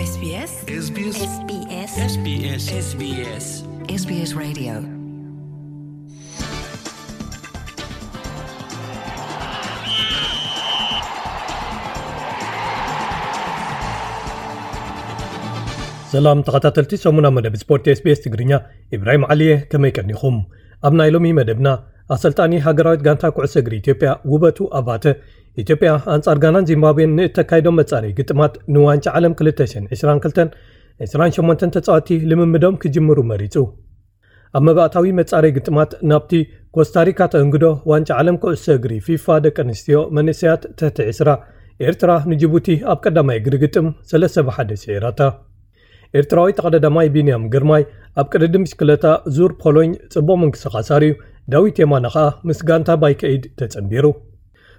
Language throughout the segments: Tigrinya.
SBS SBS SBS SBS SBS SBS Radio. ሰላም ተኸታተልቲ ሰሙና መደብ ስፖርት SBS ትግርኛ፣ ኢብራሂም ዓሊየ፣ ከመይ ቀኒኹም? ኣብ ናይ ሎሚ መደብና፣ ኣሰልጣኒ ሃገራዊት ጋንታ ኩዕሶ እግሪ ኢትዮጵያ ውበቱ ኣባተ፣ ኢትዮጵያ ኣንጻር ጋናን ዚምባብዌን ንእተካይዶ መጻረዪ ግጥማት ንዋንጫ ዓለም ክልተ ሽሕን ዕስራን ክልተን፣ ዕስራን ሸሞንተን ተጻወትቲ ልምምዶም ክጅምሩ መሪጹ። ኣብ መባእታዊ መጻረዪ ግጥማት ናብቲ ኮስታሪካ ተእንግዶ ዋንጫ ዓለም ኩዕሶ እግሪ ፊፋ ደቂ ኣንስትዮ መንእሰያት ትሕቲ ዕስራ፣ ኤርትራ ንጅቡቲ ኣብ ቀዳማይ እግሪ ግጥም ሰለስተ ብሓደ ስዒራታ። ኤርትራዊ ተቐዳዳማይ ቢንያም ግርማይ ኣብ ቅድድም ብሽክለታ ዙር ፖሎኝ ጽቡቕ ምንቅስቓስ ኣርእዩ፣ ዳዊት የማነ ኸኣ ምስ ጋንታ ባይከ ኤይድ ተጸንቢሩ።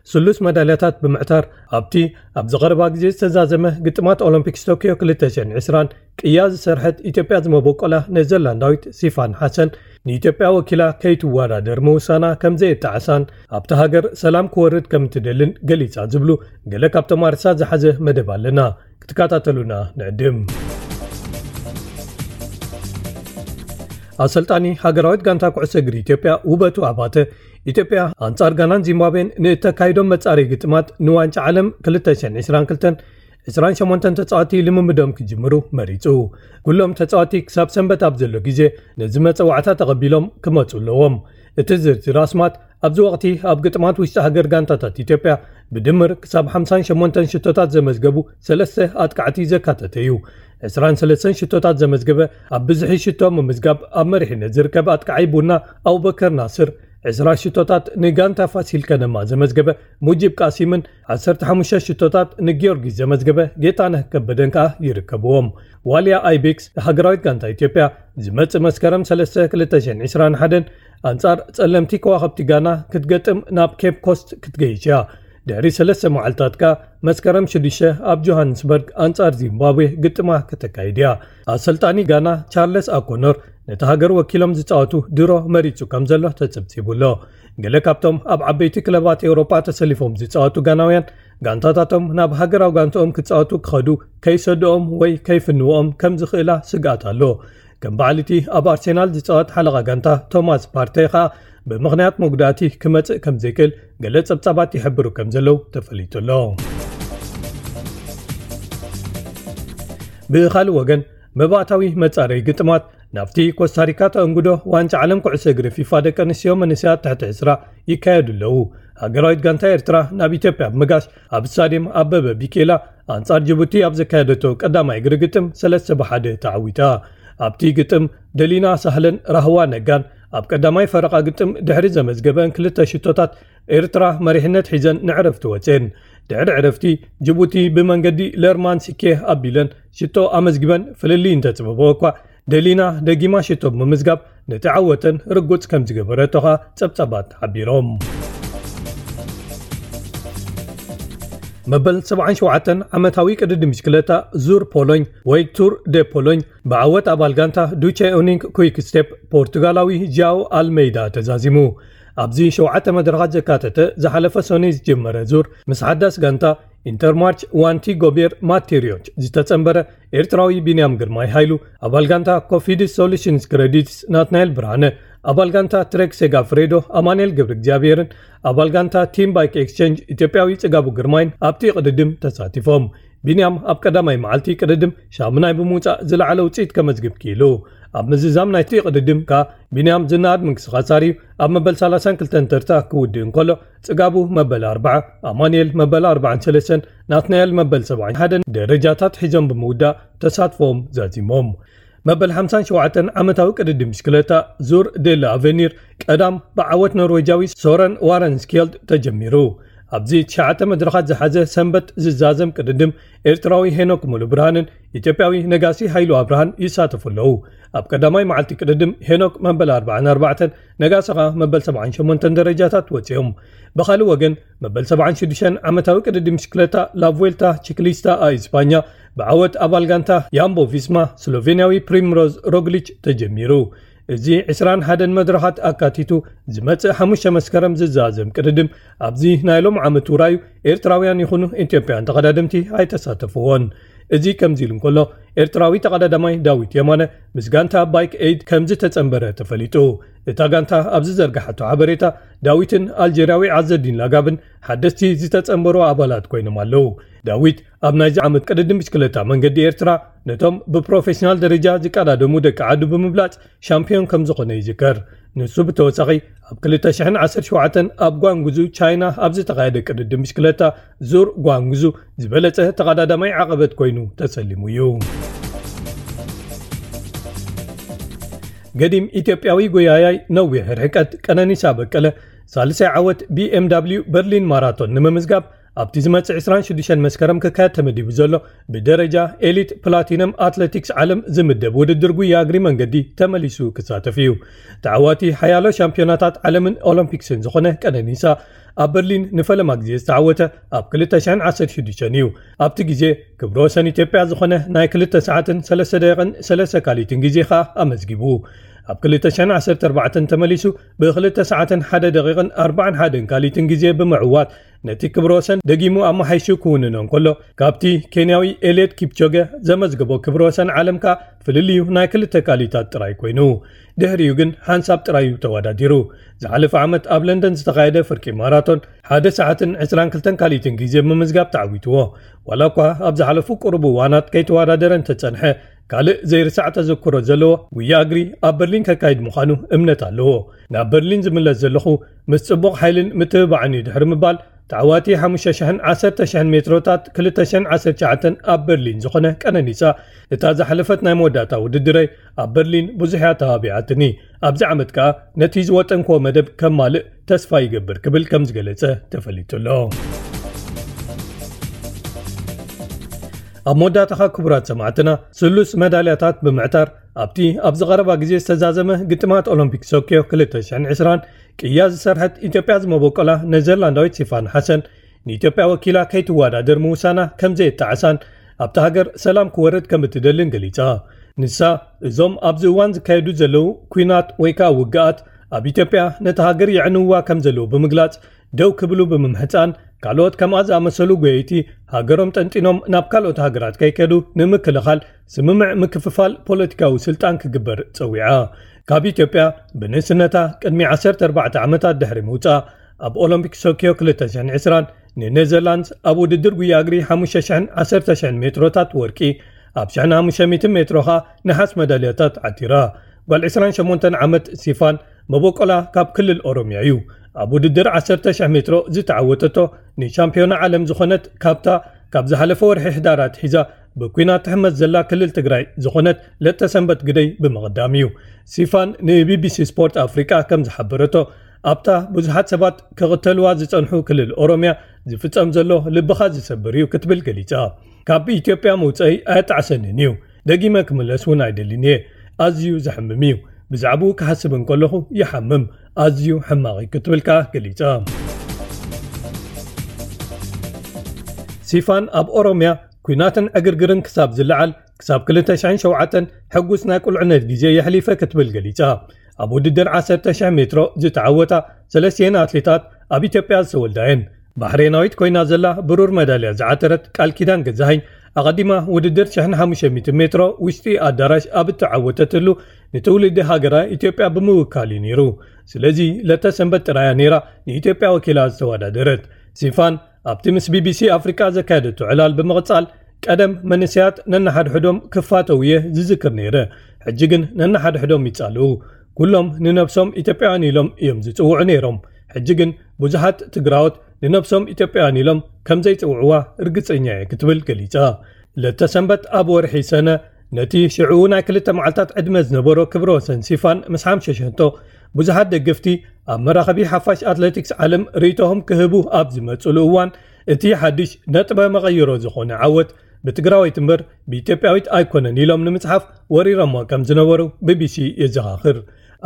ስሉስ መዳልያታት ብምዕታር ኣብቲ ኣብዚ ቀረባ ግዜ ዝተዛዘመ ግጥማት ኦሎምፒክስ ቶክዮ ክልተ ሽሕን ዕስራን ቅያ ዝሰርሐት ኢትዮጵያ ዝመበቆላ ኔዘርላንዳዊት ሲፋን ሓሰን ንኢትዮጵያ ወኪላ ከይትወዳደር ምውሳና ከም ዘየጣዕሳን ኣብታ ሃገር ሰላም ክወርድ ከም እትደልን ገሊጻ ዝብሉ ገለ ካብቶም ኣርእስታት ዝሓዘ መደብ ኣለና። ክትከታተሉና ንዕድም። ኣሰልጣኒ ሃገራዊት ጋንታ ኩዕሶ እግሪ ኢትዮጵያ ውበቱ ኣባተ፣ ኢትዮጵያ ኣንጻር ጋናን ዚምባብዌን ንእተካይዶም መጻረዪ ግጥማት ንዋንጫ ዓለም ክልተ ሽሕን ዕስራን ክልተን፣ ዕስራን ሸሞንተን ተጻወትቲ ልምምዶም ክጅምሩ መሪጹ። ኩሎም ተጻወትቲ ክሳብ ሰንበት ኣብ ዘሎ ግዜ ነዚ መጸዋዕታ ተቐቢሎም ክመጹ ኣለዎም። እቲ ዝርዝር ኣስማት ኣብዚ ወቕቲ ኣብ ግጥማት ውሽጢ ሃገር ጋንታታት ኢትዮጵያ ብድምር ክሳብ ሓምሳን ሸሞንተን ሽቶታት ዘመዝገቡ ሰለስተ ኣጥቃዕቲ ዘካተተ እዩ። ዕስራን ሰለስተን ሽቶታት ዘመዝገበ ኣብ ብዝሒ ሽቶ ምምዝጋብ ኣብ መሪሕነት ዝርከብ ኣጥቃዓይ ቡና ኣቡበከር ናስር፣ ዕስራ ሽቶታት ንጋንታ ፋሲል ከነማ ዘመዝገበ ሙጂብ ቃሲምን ዓሰርተ ሓሙሽተ ሽቶታት ንጊዮርጊስ ዘመዝገበ ጌታነህ ከበደን ከኣ ይርከብዎም። ዋልያ ኣይቤክስ ሃገራዊት ጋንታ ኢትዮጵያ ዝመጽእ መስከረም ሰለስተ ክልተ ሽሕን ዕስራን ሓደን ኣንጻር ጸለምቲ ከዋኸብቲ ጋና ክትገጥም ናብ ኬፕ ኮስት ክትገይሽ እያ። ድሕሪ ሰለስተ መዓልታት ከኣ መስከረም ሽዱሽተ ኣብ ጆሃንስበርግ ኣንጻር ዚምባብዌ ግጥማ ከተካይድ እያ። ኣሰልጣኒ ጋና ቻርለስ ኣኮኖር ነቲ ሃገር ወኪሎም ዝጻወቱ ድሮ መሪጹ ከም ዘሎ ተጸብጺቡ ኣሎ። ገለ ካብቶም ኣብ ዓበይቲ ክለባት ኤውሮጳ ተሰሊፎም ዝጻወቱ ጋናውያን ጋንታታቶም ናብ ሃገራዊ ጋንታኦም ክጻወቱ ክኸዱ ከይሰድኦም ወይ ከይፍንዎም ከም ዝኽእላ ስግኣት ኣሎ። ከም በዓል እቲ ኣብ ኣርሴናል ዝጻወት ሓለቓ ጋንታ ቶማስ ፓርቴ ኸኣ ብምኽንያት መጉዳእቲ ክመጽእ ከም ዘይክእል ገለ ጸብጻባት ይሕብሩ ከም ዘለዉ ተፈሊጡ ኣሎ። ብኻልእ ወገን መባእታዊ መጻረዪ ግጥማት ናብቲ ኮስታሪካ ተእንግዶ ዋንጫ ዓለም ኩዕሶ እግሪ ፊፋ ደቂ ኣንስትዮ መንእሰያት ትሕቲ ዕስራ ይካየዱ ኣለዉ። ሃገራዊት ጋንታ ኤርትራ ናብ ኢትዮጵያ ብምጋሽ ኣብ ስታድየም ኣበበ ቢቂላ ኣንጻር ጅቡቲ ኣብ ዘካየደቶ ቀዳማይ እግሪ ግጥም ሰለስተ ብሓደ ተዓዊታ። ኣብቲ ግጥም ደሊና ሳህለን ራህዋ ነጋን ኣብ ቀዳማይ ፈረቓ ግጥም ድሕሪ ዘመዝገበን ክልተ ሽቶታት ኤርትራ መሪሕነት ሒዘን ንዕረፍቲ ወፅየን። ድሕሪ ዕረፍቲ ጅቡቲ ብመንገዲ ለርማን ሲኬ ኣቢለን ሽቶ ኣመዝጊበን ፍልልይ እንተፅበበኦ እኳ ደሊና ደጊማ ሽቶ ብምምዝጋብ ነቲ ዓወተን ርጉፅ ከም ዝገበረቶ ኸኣ ጸብጻባት ሓቢሮም። መበል ሰብዓን ሸውዓተን ዓመታዊ ቅድድም ብሽክለታ ዙር ፖሎኝ ወይ ቱር ደ ፖሎኝ ብዓወት ኣባል ጋንታ ዱቼ ኡኒንክ ኩይክ ስቴፕ ፖርቱጋላዊ ጃኦ ኣልሜይዳ ተዛዚሙ። ኣብዚ ሸውዓተ መድረኻት ዘካተተ ዝሓለፈ ሰኑይ ዝጀመረ ዙር ምስ ሓዳስ ጋንታ ኢንተርማርች ዋንቲ ጎቤር ማቴሪዮች ዝተጸንበረ ኤርትራዊ ቢንያም ግርማይ ሃይሉ፣ ኣባል ጋንታ ኮፊድስ ሶሉሽንስ ክረዲትስ ናትናኤል ብርሃነ፣ ኣባል ጋንታ ትሬክ ሴጋፍሬዶ ኣማኑኤል ገብረ እግዚኣብሔርን ኣባል ጋንታ ቲም ባይክ ኤክስቼንጅ ኢትዮጵያዊ ጽጋቡ ግርማይን ኣብቲ ቅድድም ተሳቲፎም። ቢንያም ኣብ ቀዳማይ መዓልቲ ቅድድም ሻምናይ ብምውጻእ ዝለዓለ ውጽኢት ከመዝግብ ክኢሉ። ኣብ ምዝዛም ናይቲ ቅድድም ከኣ ቢንያም ዝነኣድ ምንቅስቓስ ኣርእዩ ኣብ መበል ሰላሳን ክልተን ተርታ ክውድእ እንከሎ፣ ጽጋቡ መበል ኣርባዓ፣ ኣማኑኤል መበል ኣርባዓን ሰለስተን፣ ናትናኤል መበል ሰብዓን ሓደን ደረጃታት ሒዞም ብምውዳእ ተሳትፎም ዛዚሞም። መበል ሓምሳን ሸውዓተን ዓመታዊ ቅድድም ብሽክለታ ዙር ዴላ ኣቨኒር ቀዳም ብዓወት ኖርዌጃዊ ሶረን ዋረንስኬልድ ተጀሚሩ። ኣብዚ ትሽዓተ መድረኻት ዝሓዘ ሰንበት ዝዛዘም ቅድድም ኤርትራዊ ሄኖክ ሙሉ ብርሃንን ኢትዮጵያዊ ነጋሲ ሃይሉ ኣብርሃን ይሳተፉ ኣለዉ። ኣብ ቀዳማይ መዓልቲ ቅድድም ሄኖክ መበል ኣርባዓን ኣርባዕተን፣ ነጋሲ ኸኣ መበል ሰብዓን ሸሞንተን ደረጃታት ወጺኦም። ብኻልእ ወገን መበል ሰብዓን ሽዱሽተን ዓመታዊ ቅድድም ብሽክለታ ላቭዌልታ ቺክሊስታ ኣ ኢስፓኛ ብዓወት ኣባል ጋንታ ያምቦ ቪስማ ስሎቬንያዊ ፕሪምሮዝ ሮግሊች ተጀሚሩ። እዚ ዕስራን ሓደን መድረኻት ኣካቲቱ ዝመጽእ ሓሙሽተ መስከረም ዝዛዘም ቅድድም ኣብዚ ናይ ሎም ዓመት ውራዩ ኤርትራውያን ይኹኑ ኢትዮጵያን ተቐዳደምቲ ኣይተሳተፍዎን። እዚ ከምዚ ኢሉ እንከሎ፣ ኤርትራዊ ተቐዳዳማይ ዳዊት የማነ ምስ ጋንታ ባይክ ኤይድ ከም ዝተጸንበረ ተፈሊጡ። እታ ጋንታ ኣብ ዝዘርግሓቶ ሓበሬታ፣ ዳዊትን ኣልጀርያዊ ዓዘዲን ላጋብን ሓደስቲ ዝተጸንበሩ ኣባላት ኮይኖም ኣለዉ። ዳዊት ኣብ ናይዚ ዓመት ቅድድም ብሽክለታ መንገዲ ኤርትራ ነቶም ብፕሮፌሽናል ደረጃ ዝቀዳደሙ ደቂ ዓዱ ብምብላጽ ሻምፒዮን ከም ዝኾነ ይዝከር። ንሱ ብተወሳኺ ኣብ ክልተ ሽሕን ዓሰርተ ሸውዓተን ኣብ ጓንጉዙ ቻይና ኣብ ዝተኻየደ ቅድድም ብሽክለታ ዙር ጓንጉዙ ዝበለጸ ተቐዳዳማይ ዓቐበት ኮይኑ ተሰሊሙ እዩ። ገዲም ኢትዮጵያዊ ጎያያይ ነዊሕ ርሕቀት ቀነኒሳ በቀለ ሳልሳይ ዓወት ቢኤምዳብሊዩ በርሊን ማራቶን ንምምዝጋብ ኣብቲ ዝመጽእ ዕስራን ሽዱሽተን መስከረም ክካየድ ተመዲቡ ዘሎ ብደረጃ ኤሊት ፕላቲነም ኣትሌቲክስ ዓለም ዝምደብ ውድድር ጉያ እግሪ መንገዲ ተመሊሱ ክሳተፍ እዩ። ተዓዋቲ ሓያሎ ሻምፒዮናታት ዓለምን ኦሎምፒክስን ዝኾነ ቀነኒሳ ኣብ በርሊን ንፈለማ ግዜ ዝተዓወተ ኣብ ክልተ ሽሕን ዓሰርተ ሽዱሽተን እዩ። ኣብቲ ግዜ ክብረ ወሰን ኢትዮጵያ ዝኾነ ናይ ክልተ ሰዓትን ሰለስተ ደቂቕን ሰለስተ ካሊትን ግዜ ኸኣ ኣመዝጊቡ። ኣብ ክልተ ሽሕን ዓሰርተ ኣርባዕተን ተመሊሱ ብክልተ ሰዓትን ሓደ ደቂቕን ኣርባዓን ሓደን ካሊትን ግዜ ብምዕዋት ነቲ ክብረ ወሰን ደጊሙ ኣመሓይሹ ክውንኖ እንከሎ፣ ካብቲ ኬንያዊ ኤልየት ኪፕቾገ ዘመዝገቦ ክብረ ወሰን ዓለም ከኣ ፍልልዩ ናይ ክልተ ካሊታት ጥራይ ኮይኑ። ድሕሪኡ ግን ሓንሳብ ጥራይ እዩ ተወዳዲሩ። ዝሓለፈ ዓመት ኣብ ለንደን ዝተኻየደ ፍርቂ ማራቶን ሓደ ሰዓትን ዕስራን ክልተን ካሊትን ግዜ ብምምዝጋብ ተዓዊትዎ። ዋላ እኳ ኣብ ዝሓለፉ ቁሩብ እዋናት ከይተወዳደረ እንተጸንሐ፣ ካልእ ዘይርሳዕ ተዘክሮ ዘለዎ ጉያ እግሪ ኣብ በርሊን ከካይድ ምዃኑ እምነት ኣለዎ። ናብ በርሊን ዝምለስ ዘለኹ ምስ ጽቡቕ ሓይልን ምትብባዕን እዩ ድሕሪ ምባል፣ ተዓዋቲ ሓሙሽተ ሽሕን ዓሰርተ ሽሕን ሜትሮታት ክልተ ሽሕን ዓሰርተ ትሽዓተን ኣብ በርሊን ዝኾነ ቀነኒሳ፣ እታ ዝሓለፈት ናይ መወዳእታ ውድድረይ ኣብ በርሊን ብዙሕ እያ ተባቢዓትኒ። ኣብዚ ዓመት ከኣ ነቲ ዝወጠንክዎ መደብ ከማልእ ተስፋ ይገብር ክብል ከም ዝገለጸ ተፈሊጡ ኣሎ። ኣብ መወዳእታኻ ክቡራት ሰማዕትና፣ ስሉስ መዳልያታት ብምዕታር ኣብቲ ኣብዚ ቀረባ ግዜ ዝተዛዘመ ግጥማት ኦሎምፒክ ቶክዮ ክልተ ሽሕን ዕስራን ቅያ ዝሰርሐት ኢትዮጵያ ዝመበቆላ ኔዘርላንዳዊት ሲፋን ሓሰን ንኢትዮጵያ ወኪላ ከይትወዳደር ምውሳና ከም ዘየጣዕሳን ኣብታ ሃገር ሰላም ክወርድ ከም እትደልን ገሊጻ። ንሳ፣ እዞም ኣብዚ እዋን ዝካየዱ ዘለዉ ኲናት ወይ ከኣ ውግኣት ኣብ ኢትዮጵያ ነታ ሃገር የዕንውዋ ከም ዘለዉ ብምግላጽ፣ ደው ክብሉ ብምምሕጻን፣ ካልኦት ከምኣ ዝኣመሰሉ ጎየይቲ ሃገሮም ጠንጢኖም ናብ ካልኦት ሃገራት ከይከዱ ንምክልኻል ስምምዕ ምክፍፋል ፖለቲካዊ ስልጣን ክግበር ጸዊዓ። ካብ ኢትዮጵያ ብንእስነታ ቅድሚ ዓሰርተ ኣርባዕተ ዓመታት ድሕሪ ምውጻእ፣ ኣብ ኦሎምፒክ ቶክዮ ክልተ ሽሕን ዕስራን ንኔዘርላንድስ ኣብ ውድድር ጉያ እግሪ ሓሙሽተ ሽሕን ዓሰርተ ሽሕን ሜትሮታት ወርቂ፣ ኣብ ሽሕን ሓሙሽተ ሚእትን ሜትሮ ኸኣ ነሓስ መዳልያታት ዓቲራ። ጓል ዕስራን ሸሞንተን ዓመት ሲፋን መበቆላ ካብ ክልል ኦሮምያ እዩ። ኣብ ውድድር ዓሰርተ ሽሕ ሜትሮ ዝተዓወተቶ ንሻምፒዮና ዓለም ዝኾነት ካብታ ካብ ዝሓለፈ ወርሒ ሕዳር ኣትሒዛ ብኲናት ትሕመስ ዘላ ክልል ትግራይ ዝኾነት ለተሰንበት ግደይ ብምቕዳም እዩ። ሲፋን ንቢቢሲ ስፖርት ኣፍሪቃ ከም ዝሓበረቶ፣ ኣብታ ብዙሓት ሰባት ክቕተልዋ ዝጸንሑ ክልል ኦሮምያ ዝፍጸም ዘሎ ልብኻ ዝሰብር እዩ ክትብል ገሊጻ። ካብ ኢትዮጵያ መውጸኢ ኣየጣዕሰንን እዩ። ደጊመ ክምለስ እውን ኣይደልን እየ። ኣዝዩ ዘሕምም እዩ። ብዛዕባኡ ክሓስብ እንከለኹ ይሓምም። ኣዝዩ ሕማቕ እዩ ክትብል ከኣ ገሊጻ። ሲፋን ኣብ ኦሮምያ ኲናትን ዕግርግርን ክሳብ ዝለዓል፣ ክሳብ ክልተ ሽሕን ሸውዓተን ሕጉስ ናይ ቁልዕነት ግዜ የሕሊፈ ክትብል ገሊጻ። ኣብ ውድድር ዓሰርተ ሽሕ ሜትሮ ዝተዓወታ ሰለስቲኤን ኣትሌታት ኣብ ኢትዮጵያ ዝተወልዳ እየን። ባሕሬናዊት ኮይና ዘላ ብሩር መዳልያ ዝዓተረት ቃል ኪዳን ገዛኸኝ፣ ኣቐዲማ ውድድር ሽሕን ሓሙሽተ ሚእትን ሜትሮ ውሽጢ ኣዳራሽ ኣብ እተዓወተትሉ፣ ንትውልዲ ሃገራ ኢትዮጵያ ብምውካል እዩ ነይሩ። ስለዚ ለተሰንበት ጥራያ ነይራ ንኢትዮጵያ ወኪላ ዝተወዳደረት። ሲፋን ኣብቲ ምስ ቢቢሲ ኣፍሪቃ ዘካየደቶ ዕላል ብምቕጻል፣ ቀደም መንእሰያት ነንሓድሕዶም ክፋተው እየ ዝዝክር ነይረ። ሕጂ ግን ነንሓድሕዶም ይጻልኡ። ኩሎም ንነብሶም ኢትዮጵያውያን ኢሎም እዮም ዝጽውዑ ነይሮም። ሕጂ ግን ብዙሓት ትግራዎት ንነብሶም ኢትዮጵያውያን ኢሎም ከም ዘይጽውዕዋ ርግጸኛ እየ ክትብል ገሊጻ። ለተሰንበት ኣብ ወርሒ ሰነ ነቲ ሽዑ ናይ ክልተ መዓልታት ዕድመ ዝነበሮ ክብረ ወሰን ሲፋን ምስ ሓምሸሸቶ፣ ብዙሓት ደገፍቲ ኣብ መራኸቢ ሓፋሽ ኣትሌቲክስ ዓለም ርእይቶኹም ክህቡ ኣብ ዝመጽሉ እዋን፣ እቲ ሓድሽ ነጥበ መቐይሮ ዝኾነ ዓወት ብትግራወይቲ እምበር ብኢትዮጵያዊት ኣይኮነን ኢሎም ንምጽሓፍ ወሪሮሞ ከም ዝነበሩ ቢቢሲ የዘኻኽር።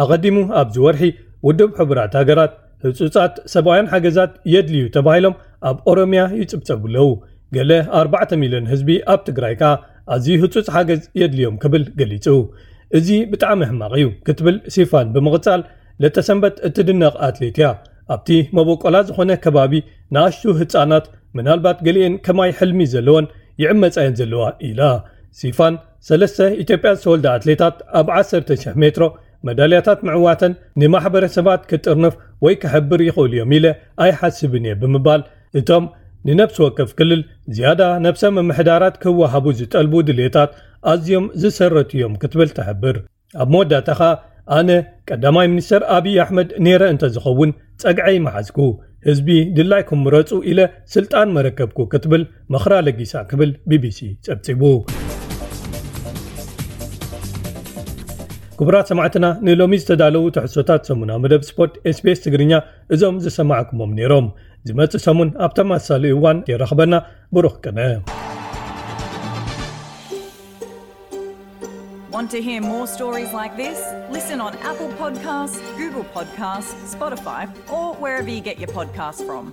ኣቐዲሙ ኣብዚ ወርሒ ውድብ ሕቡራት ሃገራት ህጹጻት ሰብኣውያን ሓገዛት የድልዩ ተባሂሎም ኣብ ኦሮምያ ይጽብጸቡ ኣለዉ። ገለ ኣርባዕተ ሚልዮን ህዝቢ ኣብ ትግራይ ከኣ ኣዝዩ ህጹጽ ሓገዝ የድልዮም ክብል ገሊጹ። እዚ ብጣዕሚ ሕማቕ እዩ ክትብል ሲፋን ብምቕጻል፣ ለተሰንበት እትድነቕ ኣትሌት እያ። ኣብቲ መበቆላ ዝኾነ ከባቢ ንኣሽቱ ህጻናት፣ ምናልባት ገሊኤን ከማይ ሕልሚ ዘለወን፣ ይዕመጻ እየን ዘለዋ ኢላ። ሲፋን ሰለስተ ኢትዮጵያ ዝተወልዳ ኣትሌታት ኣብ ዓሰርተ ሺሕ ሜትሮ መዳልያታት ምዕዋተን ንማሕበረሰባት ክጥርንፍ ወይ ክሕብር ይኽእሉ እዮም ኢለ ኣይሓስብን እየ ብምባል፣ እቶም ንነፍሲ ወከፍ ክልል ዝያዳ ነብሰ ምምሕዳራት ክወሃቡ ዝጠልቡ ድሌታት ኣዝዮም ዝሰረቱ እዮም ክትብል ትሕብር። ኣብ መወዳእታ ኸኣ ኣነ ቀዳማይ ሚኒስተር ኣብይ ኣሕመድ ነይረ እንተዝኸውን ጸግዐይ መሓዝኩ፣ ህዝቢ ድላይኩም ምረጹ ኢለ ስልጣን መረከብኩ ክትብል ምኽራ ለጊሳ ክብል ቢቢሲ ጸብጺቡ። ክቡራት ሰማዕትና፣ ንሎሚ ዝተዳለዉ ትሕዝቶታት ሰሙናዊ መደብ ስፖርት ኤስቢኤስ ትግርኛ እዞም ዝሰማዕኩሞም ነይሮም። ዝመጽእ ሰሙን ኣብ ተመሳሳሊ እዋን የራኽበና። ብሩኽ ቅነ። Want to hear more stories like this? Listen on Apple Podcasts, Google Podcasts, Spotify, or wherever you get your podcasts from.